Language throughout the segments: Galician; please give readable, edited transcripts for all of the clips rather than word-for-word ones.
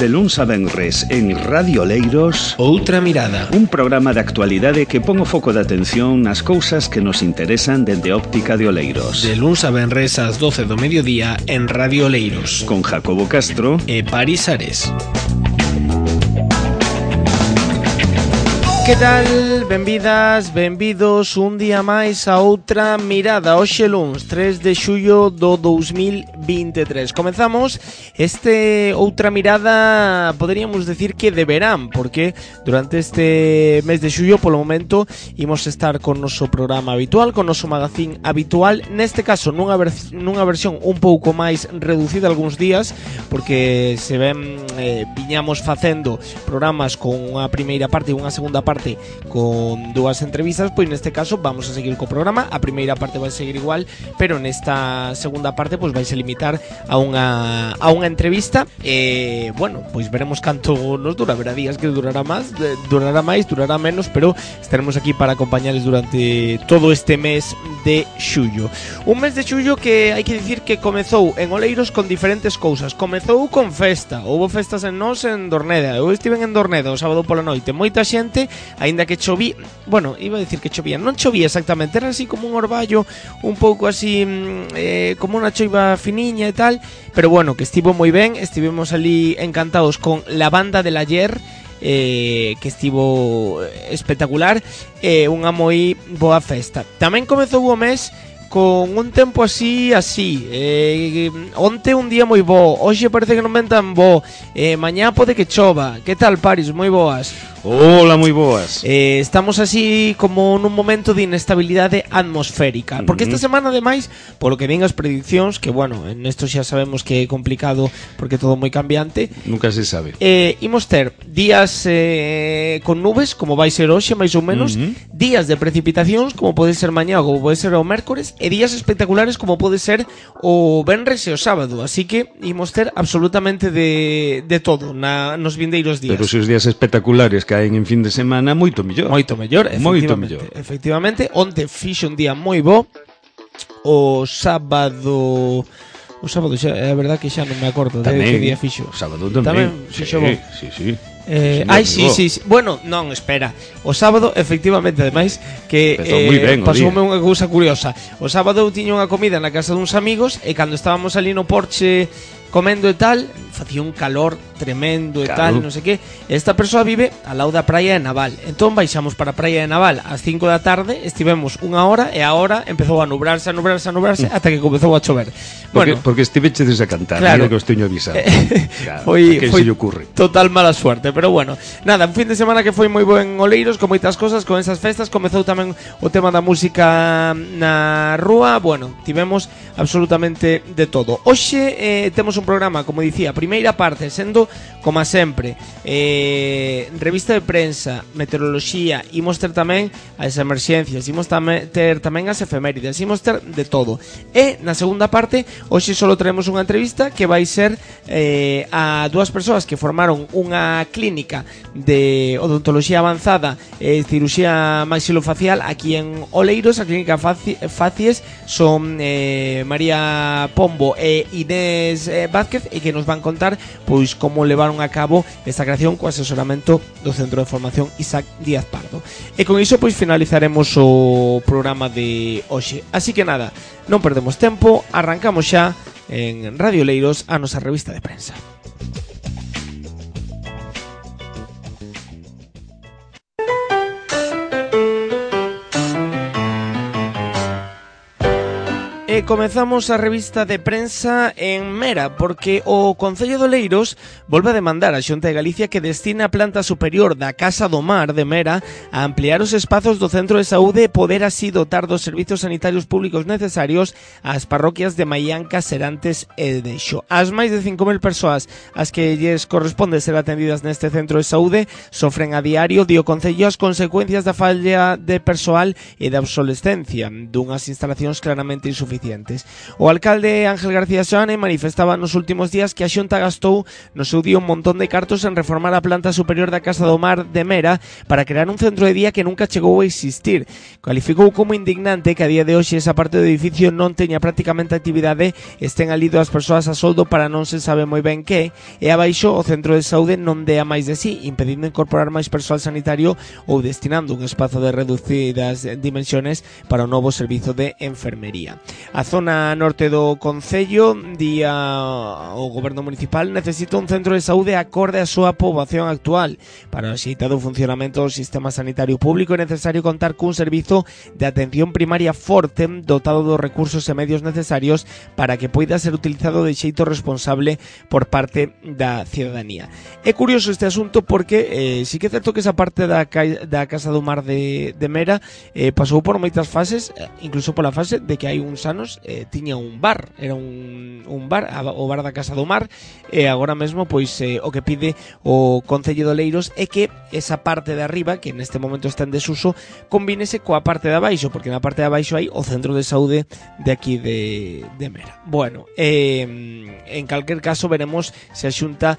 De luns a venres en Radio Oleiros, Outra Mirada, un programa de actualidade que pon o foco de atención nas cousas que nos interesan dende óptica de Oleiros. de luns a venres ás 12 do mediodía en Radio Oleiros, Con Jacobo Castro e Paris Ares. Que tal? Benvidas, benvidos un día máis a Outra Mirada. Hoxe luns, 3 de xullo do 2023. Comezamos este Outra Mirada, poderíamos decir que de verán, porque durante este mes de xullo, polo momento, imos estar con noso programa habitual, con noso magazín habitual, neste caso nunha versión un pouco máis reducida algúns días, porque se ven viñamos facendo programas con unha primeira parte e unha segunda parte con dúas entrevistas, pois neste caso vamos a seguir co programa. A primeira parte vai seguir igual, pero nesta segunda parte pois vai se limitar a unha entrevista e, bueno, pois veremos canto nos dura. Haberá días que durará máis, durará menos, pero estaremos aquí para acompañarles durante todo este mes de xullo. Un mes de xullo que hai que dicir que comezou en Oleiros con diferentes cousas. Comezou con festa, houve festas en Nós en Dorneda. Eu estive en Dorneda o sábado pola noite, moita xente, aínda que choví, bueno, iba a decir que chovía, non chovía exactamente, era así como un orballo, un pouco así como unha choiva finiña e tal, pero bueno, que estivo moi ben. Estivemos ali encantados con la banda del ayer, que estivo espectacular, unha moi boa festa. Tamén comezou o mes con un tempo así, onte un día moi bo, hoxe parece que non ven tan bo, mañá pode que chova. Que tal, Paris? Moi boas. Hola, moi boas. Estamos así como nun momento de inestabilidade atmosférica, porque esta semana ademais, polo que ven as prediccións, que bueno, en esto xa sabemos que é complicado porque é todo moi cambiante, Nunca se sabe. imos ter días con nubes, como vai ser hoxe máis ou menos, días de precipitacións, como pode ser mañá ou como pode ser o mércores, e días espectaculares como pode ser o venres e o sábado. Así que imos ter absolutamente de todo nos vindeiros días. Pero se os días espectaculares caen en fin de semana, moito mellor. Moito mellor, efectivamente. Onte fixo un día moi bo. O sábado xa, é a verdad que xa non me acordo tamén, de que día fixo. O sábado tamén fixo bo. Sí. Sí. Bueno, non, espera. O sábado, efectivamente, ademais que pasoume unha cousa curiosa. O sábado eu tiña unha comida na casa duns amigos e cando estábamos ali no porche comendo e tal, facía un calor tremendo e tal, non sei que. Esta persoa vive ao lado da praia de Naval. Entón baixamos para a praia de Naval ás 5 da tarde, estivemos unha hora e a hora empezou a nubrarse ata que comezou a chover. Porque estivechedes a cantar, claro, que os teño avisado. Claro, foi se lle ocurre. Total mala suerte, pero bueno, nada, un fin de semana que foi moi bo en Oleiros, con moitas cosas, con esas festas. Comezou tamén o tema da música na rúa. Bueno, tivemos absolutamente de todo. Hoxe temos un programa, como dicía, primeira parte sendo, como sempre, revista de prensa, meteoroloxía, imos ter tamén as emerxencias, imos ter tamén as efemérides, imos ter de todo. E na segunda parte, hoxe só traemos unha entrevista que vai ser a dúas persoas que formaron unha clínica de odontoloxía avanzada e cirurxía maxilofacial aquí en Oleiros. A clínica Facies son María Pombo e Inés Vázquez, e que nos van contar pois como levaron a cabo esta creación co asesoramento do Centro de Formación Isaac Díaz Pardo. E con iso pois finalizaremos o programa de hoxe. Así que nada, non perdemos tempo, arrancamos xa en Radio Oleiros a nosa revista de prensa. E comezamos a revista de prensa en Mera, porque o Concello de Oleiros volve a demandar a Xunta de Galicia que destina a planta superior da Casa do Mar de Mera a ampliar os espazos do centro de saúde e poder así dotar dos servizos sanitarios públicos necesarios ás parroquias de Maianca, Serantes e Deixo. As máis de 5.000 persoas ás que lles corresponde ser atendidas neste centro de saúde sofren a diario, di o Concello, as consecuencias da falla de persoal e da obsolescencia dunhas instalacións claramente insuficientes suficientes. O alcalde Ángel García Soane manifestaba nos últimos días que a Xunta gastou no seu día un montón de cartos en reformar a planta superior da Casa do Mar de Mera para crear un centro de día que nunca chegou a existir. Cualificou como indignante que a día de hoxe esa parte do edificio non teña prácticamente actividade, estén ali as persoas a soldo para non se sabe moi ben que, e abaixo o centro de saúde non dea máis de sí, impedindo incorporar máis persoal sanitario ou destinando un espazo de reducidas dimensiones para o novo servizo de enfermería. A zona norte do concello, día o goberno municipal, necesita un centro de saúde acorde á súa poboación actual. Para o axeitado funcionamento do sistema sanitario público é necesario contar cun servizo de atención primaria forte, dotado dos recursos e medios necesarios para que poida ser utilizado de xeito responsable por parte da cidadanía. É curioso este asunto porque sí que é certo que esa parte da Casa do Mar de Mera pasou por moitas fases, incluso pola fase de que hai uns anos tiña un bar, era un bar, o bar da Casa do Mar, e agora mesmo pois o que pide o Concello de Oleiros é que esa parte de arriba, que neste momento está en desuso, combínese coa parte de abaixo, porque na parte de abaixo hai o centro de saúde de aquí de Mera. Bueno, en calquer caso veremos se a Xunta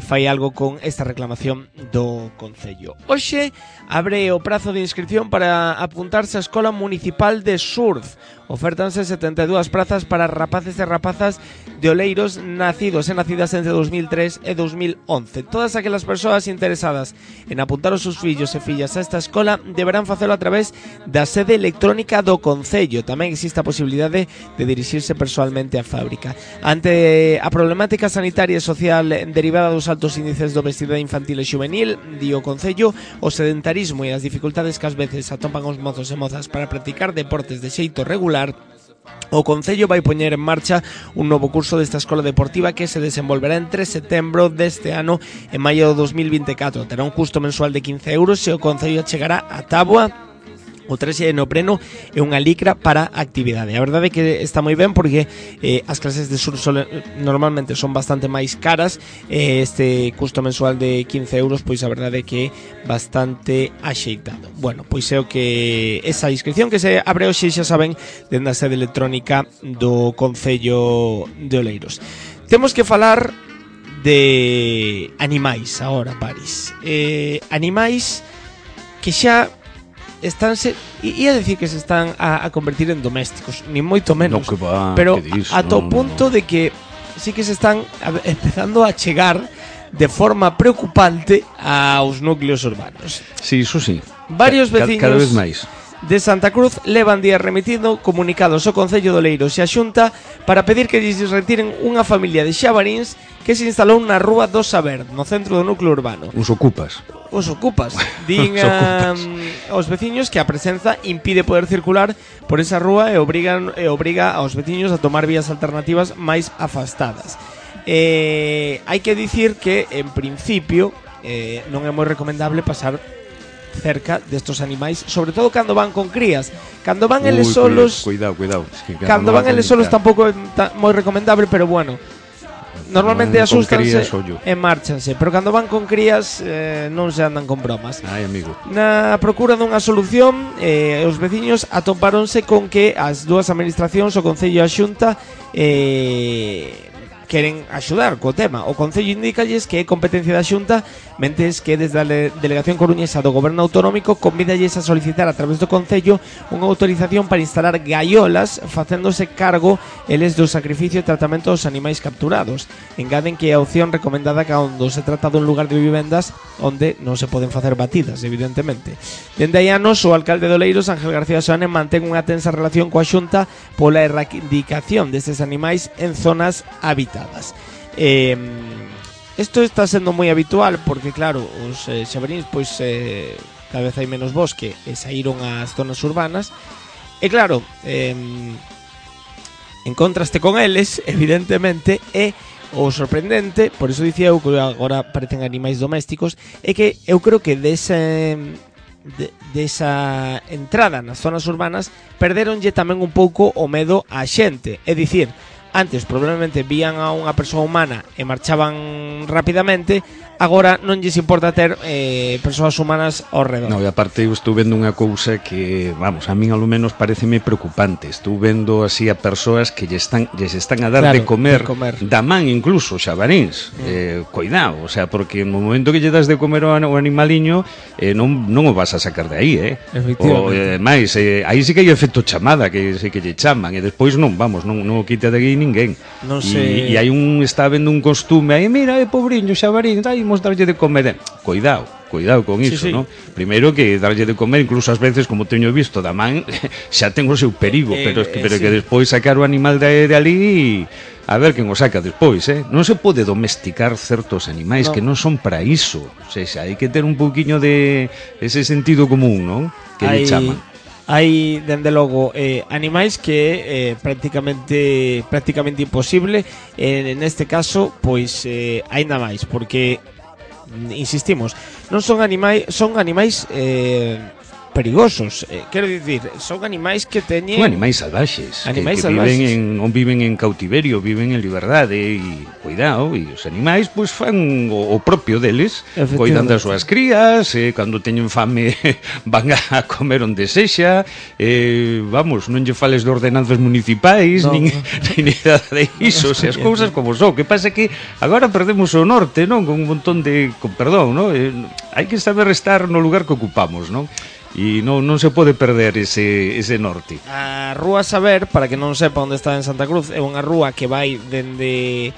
fai algo con esta reclamación do Concello. Hoxe abre o prazo de inscripción para apuntarse á Escola Municipal de Surf. Ofértanse 72 prazas para rapaces e rapazas de Oleiros nacidos e nacidas entre 2003 e 2011. Todas aquelas persoas interesadas en apuntar os seus fillos e fillas a esta escola deberán facelo a través da sede electrónica do Concello. Tamén existe a posibilidade de dirixirse persoalmente á fábrica. Ante a problemática sanitaria e social derivada dos altos índices de obesidade infantil e xuvenil, di o Concello, o sedentarismo e as dificultades que ás veces atopan os mozos e mozas para practicar deportes de xeito regular, o Concello vai poñer en marcha un novo curso desta escola deportiva que se desenvolverá entre setembro deste ano e maio de 2024. Terá un custo mensual de 15 euros e o Concello chegará a táboa o traxe de neopreno e unha licra para a actividade. A verdade é que está moi ben porque as clases de surf normalmente son bastante máis caras, este custo mensual de 15 euros pois a verdade é que é bastante axeitado. Bueno, pois é o que esa inscripción que se abre hoxe, xa saben, dende a sede electrónica do Concello de Oleiros. Temos que falar de animais agora, Paris. Animais que xa estánse, ia decir que se están a convertir en domésticos, ni moito menos, no, va, pero ata o punto de que sí que se están empezando a chegar de forma preocupante aos núcleos urbanos. Sí, iso sí. Varios veciños cada vez máis de Santa Cruz levan días remitindo comunicados ao Concello de Oleiros e a Xunta para pedir que lles retiren unha familia de xabaríns que se instalou na Rúa do Saber, no centro do núcleo urbano. Os ocupas. Din aos veciños que a presenza impide poder circular por esa rúa e obriga aos veciños a tomar vías alternativas máis afastadas. Hai que dicir que, en principio, non é moi recomendable pasar cerca destos animais, sobre todo cando van con crías. Cando van eles solos, cuidado. Es que cando van eles solos tampouco é moi recomendable, pero bueno, normalmente asústanse e márchanse, pero cando van con crías non se andan con bromas. Ai, amigo. Na procura dunha solución, os veciños atopáronse con que as dúas administracións, o Concello e a Xunta, queren axudar co tema. O Concello indícalles que é competencia da Xunta, mentes que desde a Delegación Coruñesa do Goberno Autonómico convídalles a solicitar a través do Concello unha autorización para instalar gaiolas, facéndose cargo eles do sacrificio e tratamento dos animais capturados. Engaden que é a opción recomendada cando se trata dun lugar de vivendas onde non se poden facer batidas, evidentemente. Dende hai anos, o alcalde de Oleiros, Ángel García Soane, mantén unha tensa relación coa Xunta pola erradicación destes animais en zonas habitadas. Isto está sendo moi habitual porque, claro, os xabaríns pois cada vez hai menos bosque e saíron ás zonas urbanas e, claro, en contraste con eles, evidentemente, é o sorprendente, por iso dicía eu que agora parecen animais domésticos, é que eu creo que desa entrada nas zonas urbanas perderonlle tamén un pouco o medo á xente. É dicir, antes probablemente vían a unha persoa humana e marchaban rapidamente, agora non lles importa ter persoas humanas ao redor. No, e aparte eu estou vendo unha cousa que, vamos, a min ao menos pareceme preocupante. Estou vendo así a persoas que lles están a dar de comer da man incluso xabaríns. Cuidado, o sea, porque no momento que lle das de comer ao animaliño non o vas a sacar de aí, Efectivamente. Mais, aí sí que hai efecto chamada, que sei que lle chaman, e despois non o quita de aí ninguén. Non sei. E hai está vendo un costume aí, mira, pobriño xabarín, imos darlle de comer. Cuidado con iso, sí. ¿no? Primeiro que darlle de comer, incluso ás veces, como teño visto da man, xa ten o seu perigo, pero que despois sacar o animal de ali, a ver quen o saca despois, Non se pode domesticar certos animais que non son para iso. O sea, hai que ter un pouquiño de ese sentido común, non? Que lle chaman. Hai, dende logo, animais que é prácticamente imposible, neste caso, pois, aínda máis, porque, insistimos, non son animais perigosos, quero dicir, son animais que teñen... Son animais salvaxes, que non viven en cautiverio, viven en liberdade, e cuidado, e os animais pois fan o propio deles, coidan das súas crías, cando teñen fame van a comer onde sexa, vamos, non lle fales de ordenanzas municipais, nin nada de iso, as cousas como son. Que pasa que agora perdemos o norte, non? Con un montón de... perdón, non? Hai que saber estar no lugar que ocupamos, non? E non se pode perder ese norte. A Rúa Saber, para que non sepa onde está en Santa Cruz, é unha rúa que vai dende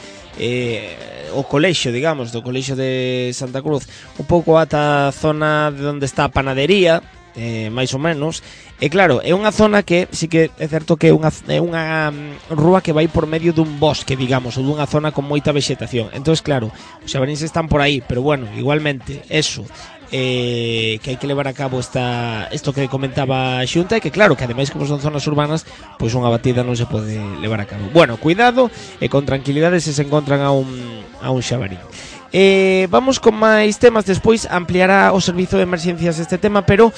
o colexio, digamos, do colexio de Santa Cruz, un pouco ata a zona de onde está a panadería, máis ou menos. E claro, é unha zona que sí que é certo que é unha rúa que vai por medio dun bosque, digamos, ou dunha zona con moita vegetación. Entón, claro, os xabaríns están por aí, pero bueno, igualmente, eso, que hai que levar a cabo isto que comentaba a Xunta, e que claro, que ademais como son zonas urbanas, pois unha batida non se pode levar a cabo. Bueno, cuidado e con tranquilidade se encontran a un xabarín. Vamos con máis temas. Despois ampliará o servizo de emerxencias este tema, pero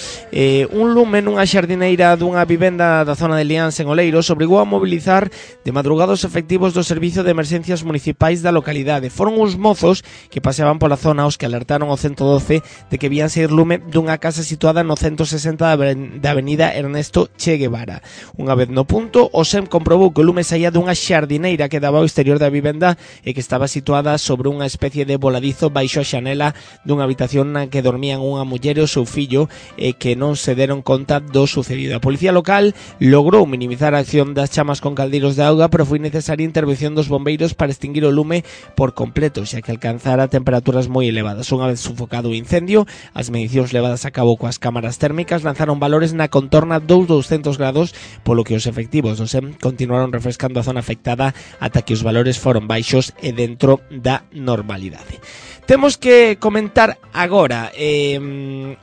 un lume nunha xardineira dunha vivenda da zona de Liáns en Oleiros obrigou a mobilizar de madrugada os efectivos do servizo de emerxencias municipais da localidade. Foron uns mozos que paseaban pola zona os que alertaron ao 112 de que vían sair lume dunha casa situada no 160 da avenida Ernesto Che Guevara. Unha vez no punto, o SEM comprobou que o lume saía dunha xardineira que daba ao exterior da vivenda e que estaba situada sobre unha especie de voladizo baixo a xanela dunha habitación na que dormían unha muller e o seu fillo, e que non se deron conta do sucedido. A policía local logrou minimizar a acción das chamas con caldeiros de auga, pero foi necesaria a intervención dos bombeiros para extinguir o lume por completo, xa que alcanzara temperaturas moi elevadas. Unha vez sufocado o incendio, as medicións levadas a cabo coas cámaras térmicas lanzaron valores na contorna dos 200 grados, polo que os efectivos do SEM continuaron refrescando a zona afectada ata que os valores foron baixos e dentro da normalidade. Temos que comentar agora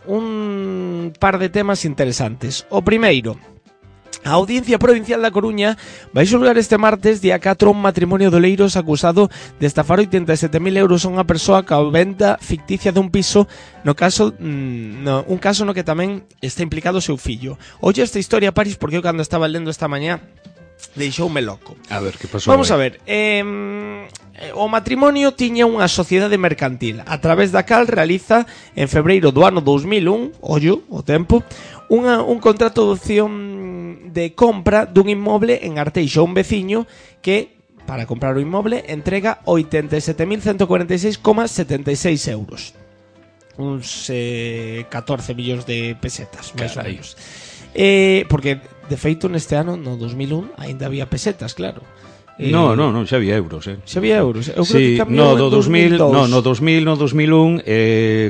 un par de temas interesantes. O primeiro, a Audiencia Provincial da Coruña vai xulgar este martes, día 4, un matrimonio de Oleiros acusado de estafar 87.000 euros a unha persoa ca venda ficticia dun piso, un caso no que tamén está implicado o seu fillo. Oye esta historia, Paris, porque eu cando estaba lendo esta mañá deixoume loco. A ver, que pasou? Vamos a ver, o matrimonio tiña unha sociedade mercantil a través da cal realiza en febreiro do ano 2001, ollo, o tempo, un contrato de opción de compra dun inmoble en Arteixo a un veciño que, para comprar o inmoble, entrega 87.146,76 euros, uns 14 millóns de pesetas, máis ou menos. Porque, de feito, neste ano, no 2001, ainda había pesetas, claro. No, xa había euros, Xa había euros. Eu sí, creo que cambiou no, en 2002. No 2001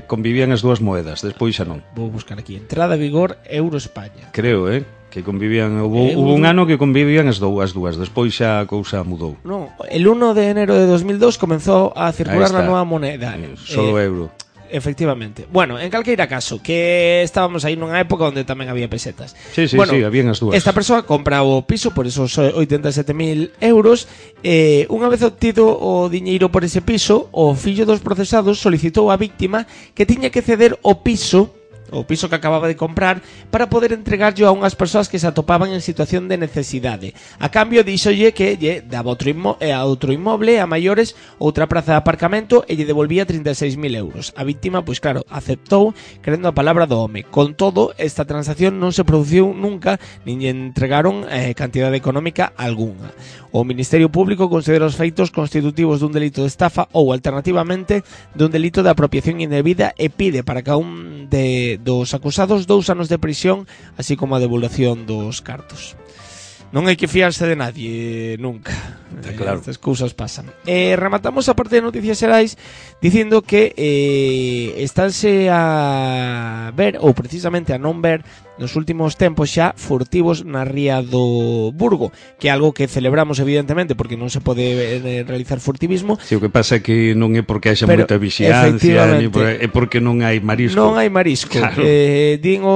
convivían as dúas moedas, despois xa non. Vou buscar aquí. Entrada a vigor Euro España. Creo, que convivían, hubo un ano que convivían as dúas, despois xa a cousa mudou. No, el 1 de enero de 2002 comenzou a circular a nova moneda. Solo euro. Efectivamente. Bueno, en calqueira caso, que estábamos aí nunha época onde tamén había pesetas. Sí, bueno, habían as dúas. Esta persoa compra o piso por esos 87.000 euros. Unha vez obtido o diñeiro por ese piso, o fillo dos procesados solicitou á víctima que tiña que ceder o piso o piso que acababa de comprar, para poder entregarlo a unhas persoas que se atopaban en situación de necesidade. A cambio díxolle que lle daba outro inmoble a maiores, outra praza de aparcamento, e lle devolvía 36.000 euros. A víctima, pois claro, aceptou crendo a palabra do home. Con todo, esta transacción non se produciu nunca, nin lle entregaron cantidade económica algunha. O Ministerio Público considera os feitos constitutivos dun delito de estafa ou, alternativamente, dun delito de apropiación indebida e pide para cada un dos acusados 2 anos de prisión, así como a devolución dos cartos. Non hai que fiarse de nadie nunca. Claro. Estas cousas pasan. Rematamos a parte de noticias xerais dicindo que estánse a ver, ou precisamente a non ver, nos últimos tempos xa furtivos na ría do Burgo, que é algo que celebramos evidentemente porque non se pode realizar furtivismo. Si, o que pasa é que non é porque haxa moita vixiancia, é porque non hai marisco. Non hai marisco. Claro. Din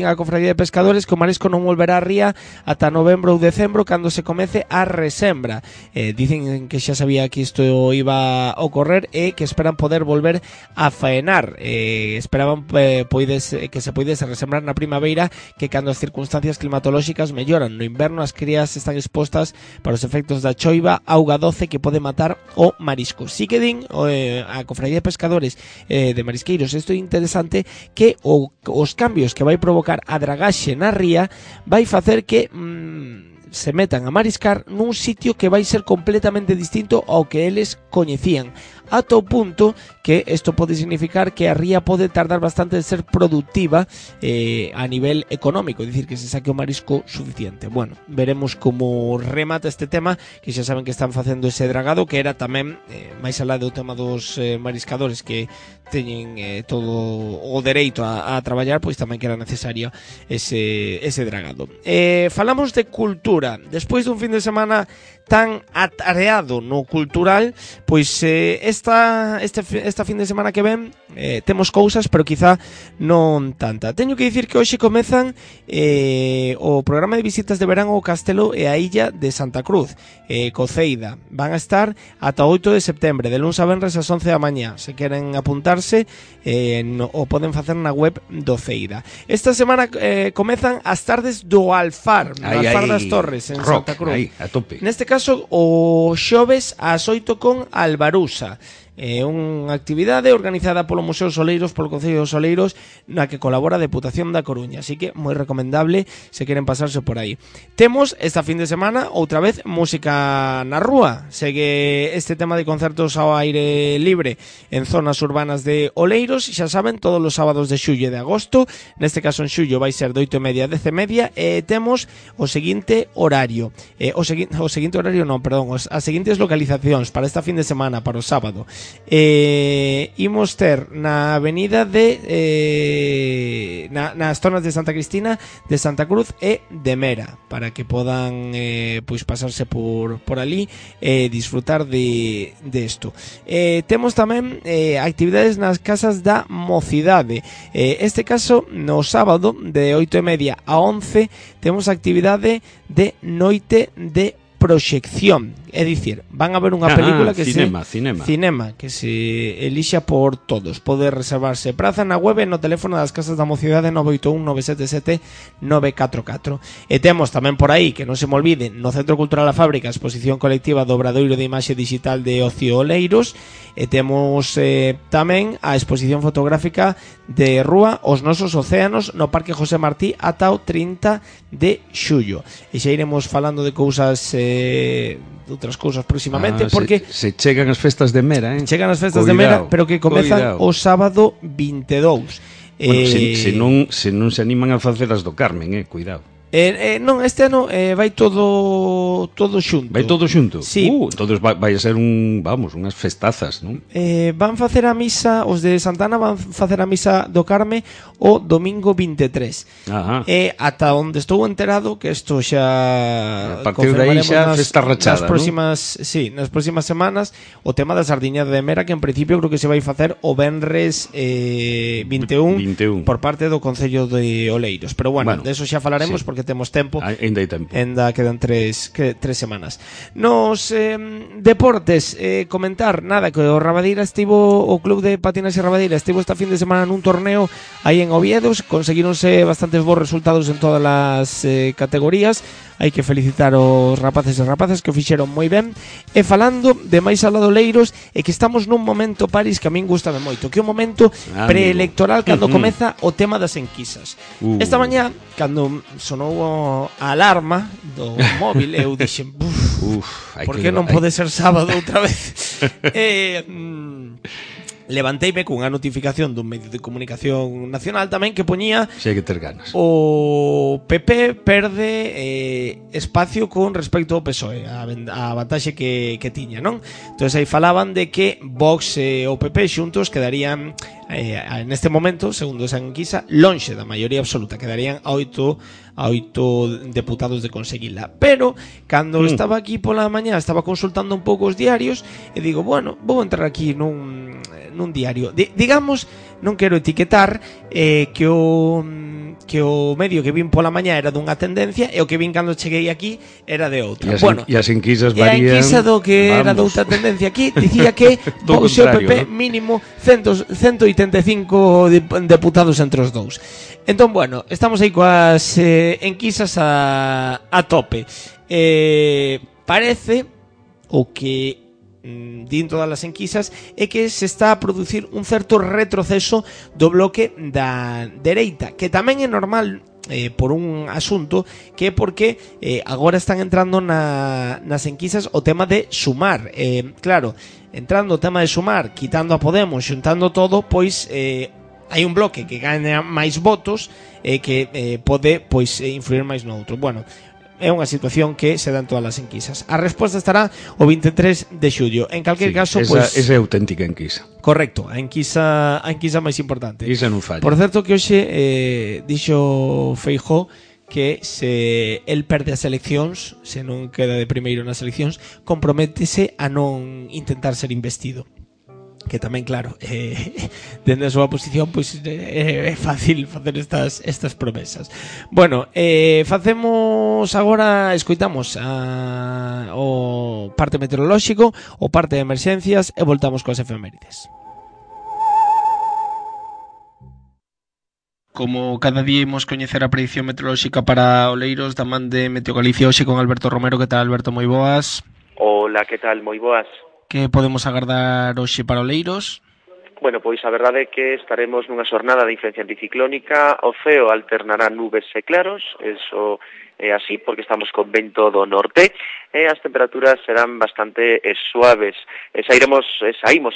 a Cofradía de Pescadores que o marisco non volverá á ría ata novembro ou decembro, cando se comece a resembra. Dicen que xa sabía que isto iba a ocorrer e que esperan poder volver a faenar. Esperaban que se poidese resembrar na primavera, que cando as circunstancias climatolóxicas melloran. No inverno as crías están expostas para os efectos da choiva, auga doce que pode matar o marisco. Si que din a Cofradía de Pescadores de Marisqueiros, isto é interesante, que os cambios que vai provocar a dragaxe na ría vai facer que se metan a mariscar nun sitio que vai ser completamente distinto ao que eles coñecían, ata o punto que isto pode significar que a ría pode tardar bastante en ser productiva a nivel económico, é dicir, que se saque o marisco suficiente. Bueno, veremos como remata este tema, que xa saben que están facendo ese dragado, que era tamén, máis alá do tema dos mariscadores que teñen todo o dereito a traballar, pois tamén que era necesario ese dragado. Falamos de cultura. Despois dun fin de semana tan atareado no cultural, pois esta fin de semana que ven temos cousas, pero quizá non tanta. Teño que dicir que hoxe comezan o programa de visitas de verán ao Castelo e a illa de Santa Cruz, Coceida. Van a estar ata 8 de septembre, de luns a venres ás 11 da mañá. Se queren apuntarse, o poden facer na web do Ceida. Esta semana comezan as tardes do Alfar, no Alfar das Torres, en rock, Santa Cruz. aí, a tope. Neste caso, o xoves ás 8 con Albarusa. Unha actividade organizada polo Museo Soleiros, polo Concello de Soleiros, na que colabora a Deputación da Coruña, así que moi recomendable se queren pasarse por aí. Temos esta fin de semana outra vez música na rúa. Segue este tema de concertos ao aire libre en zonas urbanas de Oleiros, xa saben, todos os sábados de xullo e de agosto. Neste caso en xullo vai ser de 8:30 a 10:30 e temos o seguinte horario. As seguintes localizacións para esta fin de semana, para o sábado. Imos ter na avenida nas zonas de Santa Cristina, de Santa Cruz e de Mera, para que podan pois pasarse por ali e disfrutar de isto. Temos tamén actividades nas casas da mocidade. Este caso, no sábado de 8:30 a 11 temos actividade de noite de proxección, é dicir, van a ver unha película que cinema, que se elixa por todos. Pode reservarse praza na web e no teléfono das casas da mocidade 981-977-944. E temos tamén por aí, que non se me olvide, no Centro Cultural A Fábrica, a exposición colectiva do Obradoiro de Imaxe Digital de Ocio Oleiros, e temos tamén a exposición fotográfica de rúa Os Nosos Océanos no Parque José Martí ata o 30 de xullo. E xa iremos falando de cousas de outras cousas próximamente, porque se chegan as festas de Mera, chegan as festas de Mera, pero que comezan o sábado 22. Bueno, se non se animan a facer as do Carmen, cuidado. Non, este ano vai todo xunto. Vai todo xunto? Sí. Entonces vai a ser unhas festazas, non? Van facer a misa, os de Santana van facer a misa do Carme o domingo 23. Ajá. Ata onde estou enterado, que isto xa a partir de aí xa festa rachada, nas próximas semanas, o tema da sardiñada de Mera, que en principio creo que se vai facer o venres 21 por parte do Concello de Oleiros. Pero bueno, de eso xa falaremos, porque temos tempo. Ainda hai tempo. Ainda quedan tres semanas. Nos deportes, comentar, nada, que o Rabadeira estivo, o Club de Patinaxe Rabadeira estivo esta fin de semana nun torneo aí en Oviedo, conseguíronse bastantes bons resultados en todas as categorías. Hai que felicitar os rapaces e rapazas que o fixeron moi ben. E falando de máis alá do Oleiros, é que estamos nun momento, Paris, que a min gustame moito, que é un momento preelectoral cando comeza o tema das enquisas. Esta mañá, cando sonou a alarma do móvil, eu dixen, por que non pode ser sábado outra vez? Levanteime cunha notificación dun medio de comunicación nacional tamén que poñía que ter ganas. O PP perde espacio con respecto ao PSOE, a vantaxe que tiña, non? Entón aí falaban de que Vox e o PP xuntos quedarían neste momento, segundo esa enquisa, lonxe da maioría absoluta, quedarían a 8 deputados de conseguila. Pero cando estaba aquí pola mañá, estaba consultando un pouco os diarios e digo, bueno, vou entrar aquí nun diario. Digamos, non quero etiquetar que o medio que vin pola mañá era dunha tendencia e o que vin cando cheguei aquí era de outra. E as enquisas varían. E a enquisa do que era de outra tendencia aquí dicía que Vox e o PP mínimo 185 deputados entre os dous. Entón, bueno, estamos aí coas enquisas a tope. Parece o que din todas as enquisas é que se está a producir un certo retroceso do bloque da dereita, que tamén é normal por un asunto que é porque agora están entrando nas enquisas o tema de sumar. Claro, entrando o tema de sumar, quitando a Podemos, xuntando todo, pois hai un bloque que gaña máis votos e que pode pois influir máis no outro. Bueno, é unha situación que se dá en todas as enquisas. A resposta estará o 23 de xullo. En calquer caso, esa é auténtica enquisa. Correcto, a enquisa máis importante. Esa non falla. Por certo que hoxe dixo Feijóo que se el perde as eleccións, se non queda de primeiro nas eleccións, comprométese a non intentar ser investido. Que tamén, claro, dende a súa posición pois é fácil facer estas promesas. Bueno, facemos agora, escoitamos o parte meteorolóxico, o parte de emerxencias e voltamos coas efemérides. Como cada día imos coñecer a predicción meteorolóxica para Oleiros da man de Meteogalicia hoxe con Alberto Romero. Que tal, Alberto? Moi boas. Hola, que tal? Moi boas. Que podemos agardar hoxe para Oleiros? Bueno, pois a verdade é que estaremos nunha xornada de influencia anticiclónica. O ceo alternará nubes e claros, eso é así, porque estamos con vento do norte, e as temperaturas serán bastante suaves. Saímos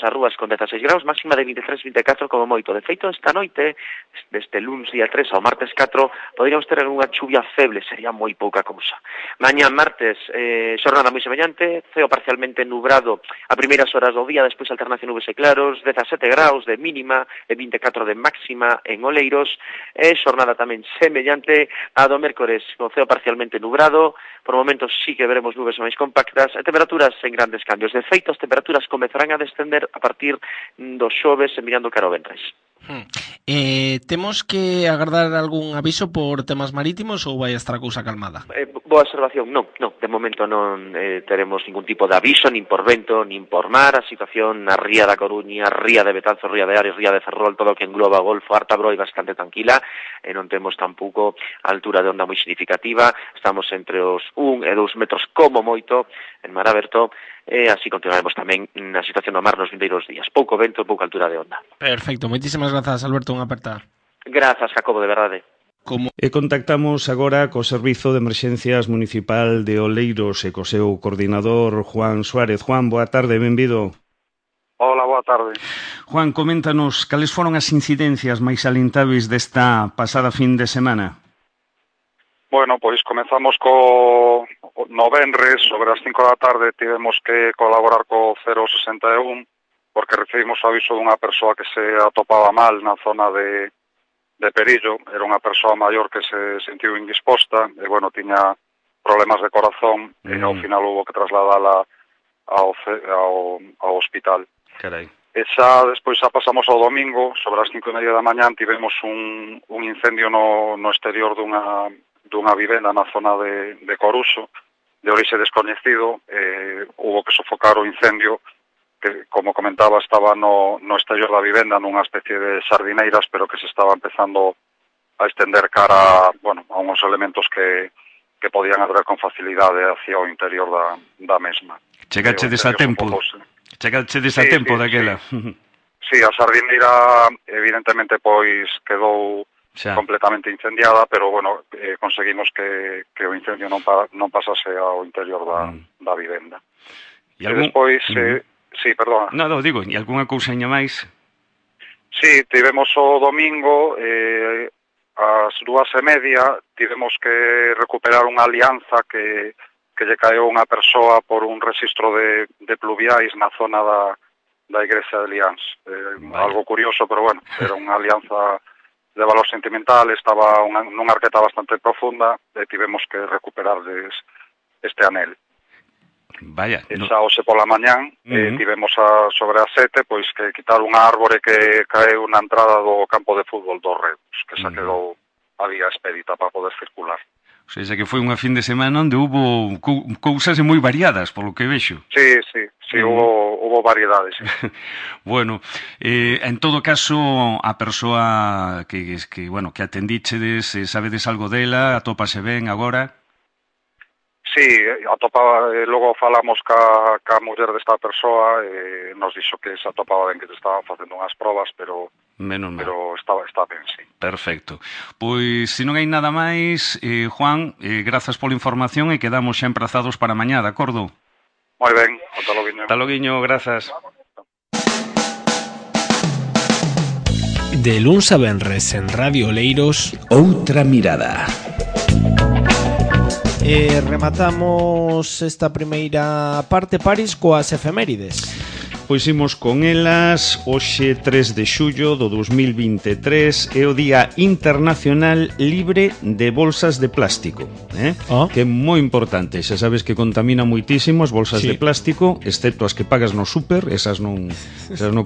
ás rúas con 16 graus, máxima de 23-24 como moito. De feito, esta noite, desde luns día 3 ao martes 4, poderíamos ter unha chuvia feble, sería moi pouca cousa. Mañá martes, xornada moi semellante, ceo parcialmente nubrado a primeiras horas do día, despois alternación nubes e claros, 17 graus de mínima e 24 de máxima en Oleiros, e xornada tamén semellante a do mércores, con ceo parcialmente nubrado, por momentos sí que veremos nubes máis compactas, e temperaturas en grandes cambios. De feito, as temperaturas comezarán a descender a partir do xoves e mirando cara ao venres. Temos que agardar algún aviso por temas marítimos ou vai estar a cousa calmada? Boa observación, non, de momento non teremos ningún tipo de aviso, nin por vento, nin por mar. A situación na ría da Coruña, ría de Betanzos, ría de Ares, ría de Ferrol, todo o que engloba o Golfo Ártabro é bastante tranquila, e non temos tampouco altura de onda moi significativa. Estamos entre os 1 e 2 metros como moito en mar aberto, e así continuaremos tamén na situación do mar nos vindeiros días. Pouco vento, pouca altura de onda. Perfecto, moitísimas grazas, Alberto, unha aperta. Grazas, Jacobo, de verdade. E contactamos agora co Servizo de Emerxencias Municipal de Oleiros e co seu coordinador Juan Suárez. Juan, boa tarde, benvido. Hola, boa tarde. Juan, coméntanos cales foron as incidencias máis salientáveis desta pasada fin de semana. Bueno, pois comezamos co no venres, sobre as 5 da tarde tivemos que colaborar co 061 porque recibimos o aviso dunha persoa que se atopaba mal na zona de Perillo. Era unha persoa maior que se sentiu indisposta e, bueno, tiña problemas de corazón e ao final hubo que trasladala ao hospital. Carai. Despois xa pasamos ao domingo, sobre as 5:30 da mañá tivemos un incendio no exterior dunha vivenda na zona de Coruso, de orixe descoñecido. Hubo que sofocar o incendio que, como comentaba, estaba no exterior da vivenda nunha especie de sardineiras, pero que se estaba empezando a extender cara, bueno, a uns elementos que podían arder con facilidade hacia o interior da mesma. Chegachedes a tempo. Chegachedes a tempo daquela. Sí, a sardineira evidentemente pois quedou completamente incendiada, pero bueno, conseguimos que o incendio non pasase ao interior da vivenda. E despois, sí, perdona. No, digo, e algunha cousaña máis? Sí, tivemos o domingo, ás 2:30, tivemos que recuperar unha alianza que lle caeu unha persoa por un rexistro de pluviais na zona da igrexa de Liáns. Algo curioso, pero bueno, era unha alianza de valor sentimental, estaba nunha arqueta bastante profunda e tivemos que recuperar este anel. Vaya. Esa hoxe pola mañán, tivemos sobre as 7, pois que quitar unha árbore que caeu na entrada do campo de fútbol dos Reus, que xa quedou a vía expedita para poder circular. O sea, que foi unha fin de semana onde hubo cousas moi variadas, polo que vexo. Sí, hubo variedades. Sí. Bueno, en todo caso, a persoa que atendíchedes, sabedes algo dela, atópase ben agora? Sí, atopaba, logo falamos ca muller desta persoa, nos dixo que se atopaba ben, que se estaban facendo unhas probas, pero está ben, sí. Perfecto. Pois, se non hai nada máis, Juan, grazas pola información e quedamos xa emprazados para mañá, de acordo? Moi ben, ata loguiño. Ata loguiño, grazas. De luns a venres en Radio Oleiros, Outra Mirada. Rematamos esta primeira parte, Paris, coas efemérides. Pois imos con elas. Hoxe 3 de xullo do 2023 é o Día Internacional Libre de Bolsas de Plástico, que é moi importante. Xa sabes que contamina moitísimo as bolsas de plástico, excepto as que pagas no súper, esas non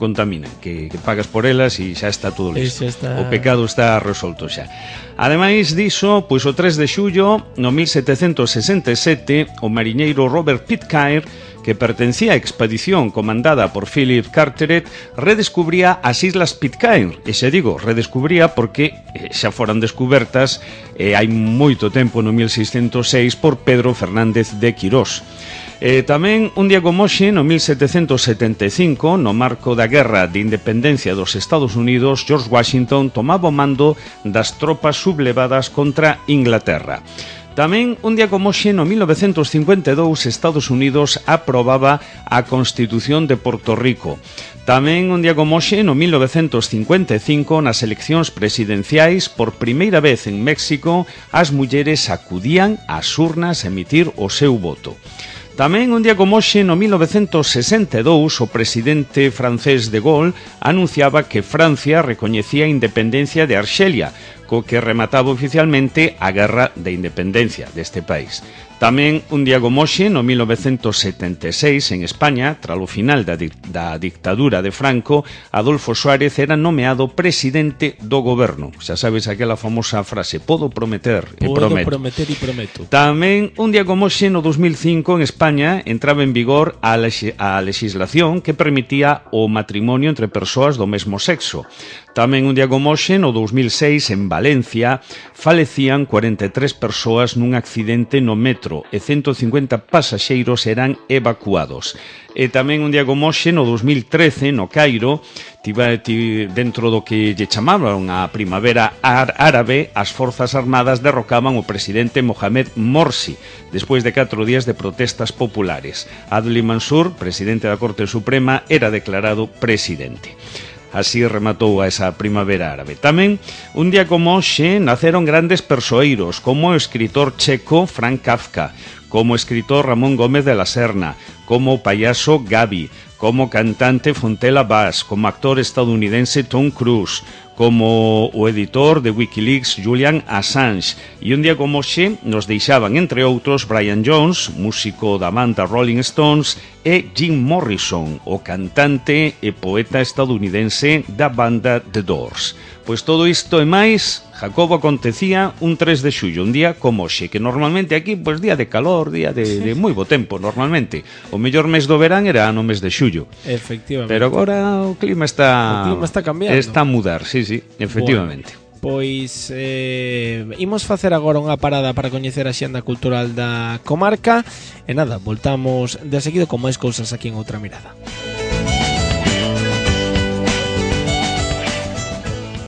contaminan, que pagas por elas e xa está todo listo. O pecado está resolto xa. Ademais diso, pois o 3 de xullo, no 1767, o mariñeiro Robert Pitcairn, que pertencía á expedición comandada por Philip Carteret, redescubría as Islas Pitcairn. E xa digo, redescubría porque xa foran descubertas hai moito tempo, no 1606, por Pedro Fernández de Quirós. Tamén un día como hoxe, no 1775, no marco da Guerra de Independencia dos Estados Unidos, George Washington tomaba o mando das tropas sublevadas contra Inglaterra. Tamén, un día como hoxe, no 1952, Estados Unidos aprobaba a Constitución de Porto Rico. Tamén, un día como hoxe, no 1955, nas eleccións presidenciais, por primeira vez en México, as mulleres acudían ás urnas a emitir o seu voto. Tamén, un día como hoxe, no 1962, o presidente francés de Gaulle anunciaba que Francia recoñecía a independencia de Arxelia, co que remataba oficialmente a Guerra de Independencia deste país. Tamén, un día como hoxe, no 1976, en España, tras o final da dictadura de Franco, Adolfo Suárez era nomeado presidente do goberno. Xa sabes aquela famosa frase, podo prometer e prometo. Podo prometer e prometo. Tamén, un día como hoxe, no 2005, en España, entraba en vigor a legislación que permitía o matrimonio entre persoas do mesmo sexo. Tamén, un día como hoxe, no 2006, en Valencia, falecían 43 persoas nun accidente no metro e 150 pasaxeiros eran evacuados. E tamén un día como hoxe, no 2013, no Cairo, dentro do que lle chamaban a Primavera Árabe, as Forzas Armadas derrocaban o presidente Mohamed Morsi, despois de 4 días de protestas populares. Adli Mansur, presidente da Corte Suprema, era declarado presidente. Así rematou a esa Primavera Árabe. Tamén, un día como hoxe, naceron grandes persoeiros, como o escritor checo Franz Kafka, como o escritor Ramón Gómez de la Serna, como o payaso Gabi, como cantante Fontella Bass, como actor estadounidense Tom Cruise, como o editor de Wikileaks Julian Assange. E un día como hoxe nos deixaban, entre outros, Brian Jones, músico da banda Rolling Stones, e Jim Morrison, o cantante e poeta estadounidense da banda The Doors. Pois todo isto e máis Jacobo acontecía un 3 de xullo, un día como hoxe, que normalmente aquí, pois día de calor, día de moi bo tempo, normalmente. O mellor mes do verán era no mes de xullo. Efectivamente. Pero agora o clima está cambiando. Está a mudar, sí, efectivamente. Bueno. Pois imos facer agora unha parada para coñecer a xenda cultural da comarca e nada, voltamos de seguido con máis cousas aquí en Outra Mirada.